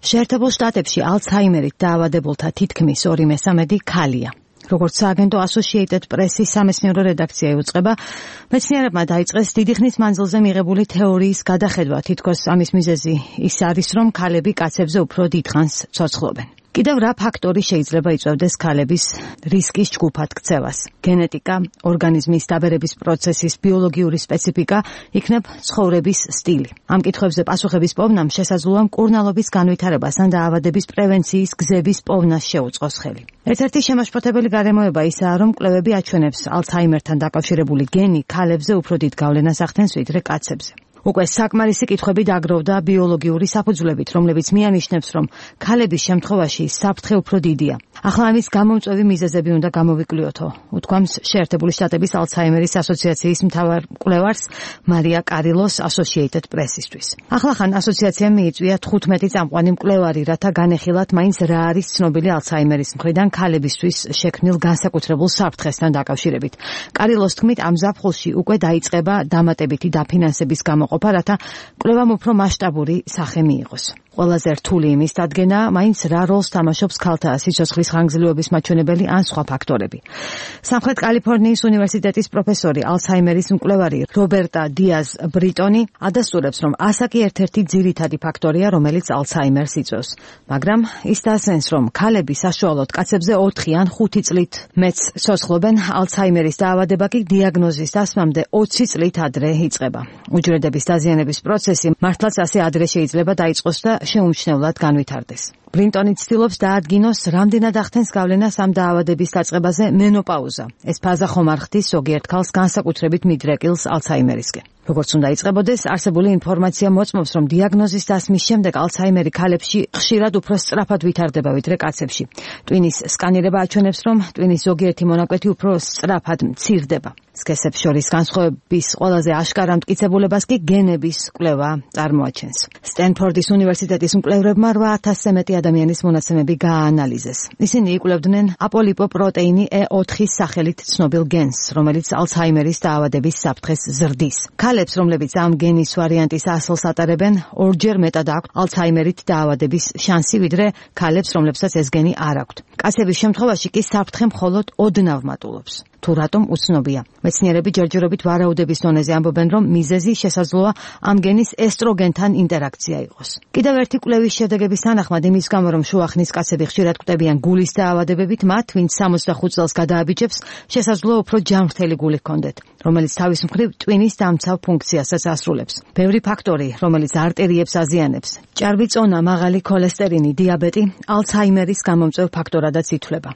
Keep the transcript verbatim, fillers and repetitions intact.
შეერთებულ შტატებში ალცჰაიმერით დაავადებულთა თითქმის ორი მესამედი ქალია. როგორც სააგენტო Associated Press-ის სამეცნიერო რედაქცია იუწყება, მეცნიერებმა დაიწყეს დიდი ხნის მანძილზე მიღებული თეორიის გადახედვა, თითქოს ამის მიზეზი ის არის, რომ ქალები კაცებზე უფრო დიდხანს ცოცხლობენ. კიდევ რა ფაქტორი შეიძლება იწვევდეს ქალების რისკის ჯგუფად ქცევას? გენეტიკა, ორგანიზმის დაბერების პროცესის ბიოლოგიური სპეციფიკა, იქნებ ცხოვრების სტილი. ამ კითხვებზე პასუხების პოვნამ შესაძლოა მკურნალობის განვითარებას ან დაავადების პრევენციის გზების პოვნას შეუწყოს ხელი. ერთ-ერთი შემაშფოთებელი გარემოება ისაა, რომ კვლევები აჩვენებს ალცჰაიმერთან დაკავშირებული გენი ქალებზე უფრო დიდ გავლენას ახდენს ვიდრე კაცებზე. უკვე საკმარისი კითხვები დაგროვდა ბიოლოგიური საფუძვლებით, რომლებიც მიანიშნებს, რომ ქალების შემთხვევაში საფრთხე უფრო დიდია. ახლა ამის გამომწვევი მიზეზები უნდა გამოვიკვლიოთო, უთქვამს შეერთებული შტატების ალცჰაიმერის ასოციაციის მთავარ მკვლევარს მარია კარილოს Associated Press-ისთვის. ახლახან ასოციაციამ მიიწვია თხუთმეტი წამყვანი მკვლევარი, რათა განეხილათ მაინც რა არის ცნობილი ალცჰაიმერის მხრიდან ქალებისთვის შექმნილ განსაკუთრებულ საფრთხესთან დაკავშირებით. კარილოს თქმით, ამ ზაფხულში უკვე დაიწყება დამატებითი დაფინანსების გამოყოფა, რათა კვლევამ უფრო მასშტაბური სახე მიიღოს. ყველაზე რთული იმის დადგენა, მაინც რა როლს თამაშობს ქალთა სიცოცხლის ხანგრძლივობის მაჩვენებელი ან სხვა ფაქტორები. სამხრეთ კალიფორნიის უნივერსიტეტის პროფესორი, ალცჰაიმერის მკვლევარი რობერტა დიაზ ბრიტონი ადასტურებს, რომ ასაკი ერთ-ერთი ძირითადი ფაქტორია, რომელიც ალცჰაიმერს იწვევს. მაგრამ ის დასენს, რომ ქალები საშუალოდ კაცებზე ოთხი ან ხუთი წლით მეც ცოცხლობენ, ალცჰაიმერის დაავადება კი დიაგნოზის დასმამდე ოცი წლით ადრე იწყება. უჯრედების დაზიანების პროცესი მართლაც ასე ადრე შეიძლება დაიწყოს და შეუმჩნევლად განვითარდეს. ბრინტონი ცდილობს დაადგინოს, რამდენად ახდენს გავლენას ამ დაავადების დაწყებაზე მენოპაუზა. ეს ფაზა ხომ არ ხდის ზოგიერთ ქალს განსაკუთრებით მიდრეკილს ალცჰაიმერისკენ. როგორც უნდა იწყებოდეს, არსებული ინფორმაცია მოწმობს, რომ დიაგნოზის დასმის შემდეგ ალცჰაიმერი ქალებში ხშირად უფრო სწრაფად ვითარდება ვიდრე კაცებში. ტვინის სკანირება აჩვენებს, რომ ტვინის ზოგიერთი მონაკვეთი უფრო სწრაფად მცირდება. სქესებს შორის განსხვავების ყველაზე აშკარა მტკიცებულებას კი გენების კვლევა წარმოაჩენს. სტენფორდის უნივერსიტეტის მკვლევრებმა რვა ათასზე მეტი ადამიანის მონაცემები გააანალიზეს. ისინი იკვლევდნენ აპოლიპოპროტეინი E ოთხის სახელით ცნობილ გენს, რომელიც ალცჰაიმერის დაავადების საფრთხეს ზრდის. ქალებს, რომლებიც ამ გენის ვარიანტის ასლს ატარებენ, ორჯერ მეტად აქვთ ალცჰაიმერით დაავადების შანსი, ვიდრე ქალებს, რომლებსაც ეს გენი არ აქვთ. კაცების შემთხვევაში კი საფრთხე მხოლოდ ოდნავ მატულობს. თუ რატომ უცნობია. მეცნიერები ჯერჯერობით ვარაუდების დონეზე ამბობენ, რომ მიზეზი შესაძლოა ამ გენის ესტროგენთან ინტერაქცია იყოს. კიდევ ერთი კვლევის შედეგების თანახმად, იმის გამო, რომ შუახნის კაცები ხშირად კვდებიან გულის დაავადებებით, მათ, ვინც სამოცდახუთ წელს გადააბიჯებს, შესაძლოა უფრო ჯანმრთელი გული ჰქონდეთ, რომელიც თავის მხრივ ტვინის დამცავ ფუნქციასაც ასრულებს. ბევრი ფაქტორი, რომელიც არტერიებს აზიანებს, ჭარბი წონა, მაღალი ქოლესტერინი, დიაბეტი, ალცჰაიმერის გამომწვევ ფაქტორადაც ითვლება.